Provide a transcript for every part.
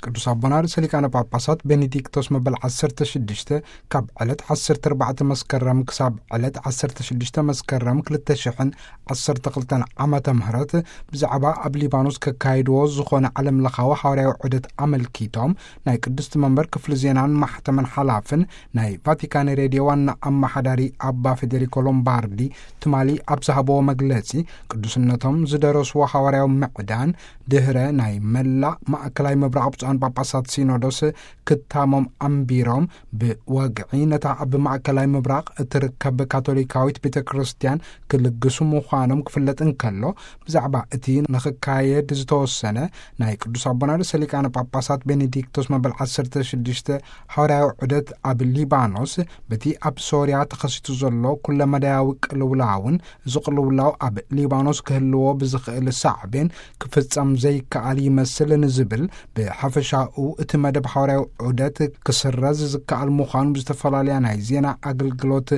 ቅዱስ ኣቦና ርእሰ ሊቃነ ጳጳሳት ቤኔዲክቶስ መበል ዓሰርተ ሽዱሽተ ካብ ዕለት ዓሰርተ ኣርባዕተ መስከረም ክሳብ ዕለት ዓሰርተ ሽዱሽተ መስከረም ክልተ ሽሕን ዓሰርተ ክልተን ዓመተ ምህረት ብዛዕባ ኣብ ሊባኖስ ከካይድዎ ዝኾነ ዓለም ለኻዊ ሓዋርያዊ ዑደት ኣመልኪቶም ናይ ቅድስቲ መንበር ክፍሊ ዜናን ማሕተምን ሓላፍን ናይ ቫቲካን ሬድዮ ዋና ኣመሓዳሪ ኣባ ፌዴሪኮ ሎምባርዲ ትማሊ ኣብ ዝሃብዎ መግለጺ ቅዱስነቶም ዝደረስዎ ሓዋርያዊ ምዕዳን ድህረ ናይ መላእ ማእከላይ ምብራቕ ብፁዓን ጳጳሳት ሲኖዶስ ክታሞም ኣንቢሮም ብወግዒ ነታ ኣብ ማእከላይ ምብራቕ እትርከብ ካቶሊካዊት ቤተ ክርስቲያን ክልግሱ ምዃኖም ክፍለጥ እንከሎ ብዛዕባ እቲ ንኽካየድ ዝተወሰነ ናይ ቅዱስ ኣቦና ርእሰ ሊቃነ ጳጳሳት ቤኔዲክቶስ መበል ዓሰርተ ሽዱሽተ ሓዋርያዊ ዑደት ኣብ ሊባኖስ በቲ ኣብ ሶርያ ተኸሲቱ ዘሎ ኩለመዳያዊ ቅልውላውን እዚ ቅልውላው ኣብ ሊባኖስ ክህልዎ ብዝኽእል ሳዕቤን ክፍጸም ዘይከኣል ይመስል ንዝብል ብሓፈሻኡ እቲ መደብ ሓዋርያዊ ዑደት ክስረዝ ዝከኣል ምዃኑ ብዝተፈላለያ ናይ ዜና ኣገልግሎት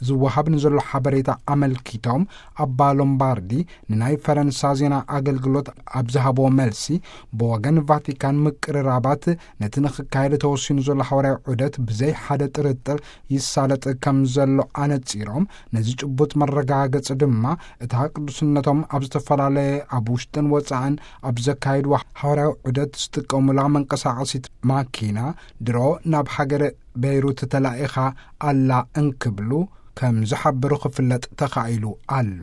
ዝወሃብ ንዘሎ ሓበሬታ ኣመልኪቶም ኣባ ሎምባርዲ ንናይ ፈረንሳ ዜና ኣገልግሎት ኣብ ዝሃብዎ መልሲ ብወገን ቫቲካን ምቅርራባት ነቲ ንኽካየድ ተወሲኑ ዘሎ ሓዋርያዊ ዑደት ብዘይ ሓደ ጥርጥር ይሳለጥ ከም ዘሎ ኣነጺሮም ነዚ ጭቡጥ መረጋገጺ ድማ እታ ቅዱስነቶም ኣብ ዝተፈላለየ ኣብ ውሽጥን ወጻእን ኣብ ዘካየድዎ ሓዋርያዊ ዑደት ዝጥቀሙላ መንቀሳቐሲት ማኪና ድሮ ናብ ሃገረ ቤይሩት ተላኢኻ ኣላ እንክብሉ ከም ዝሓበሩ ክፍለጥ ተኻኢሉ ኣሎ።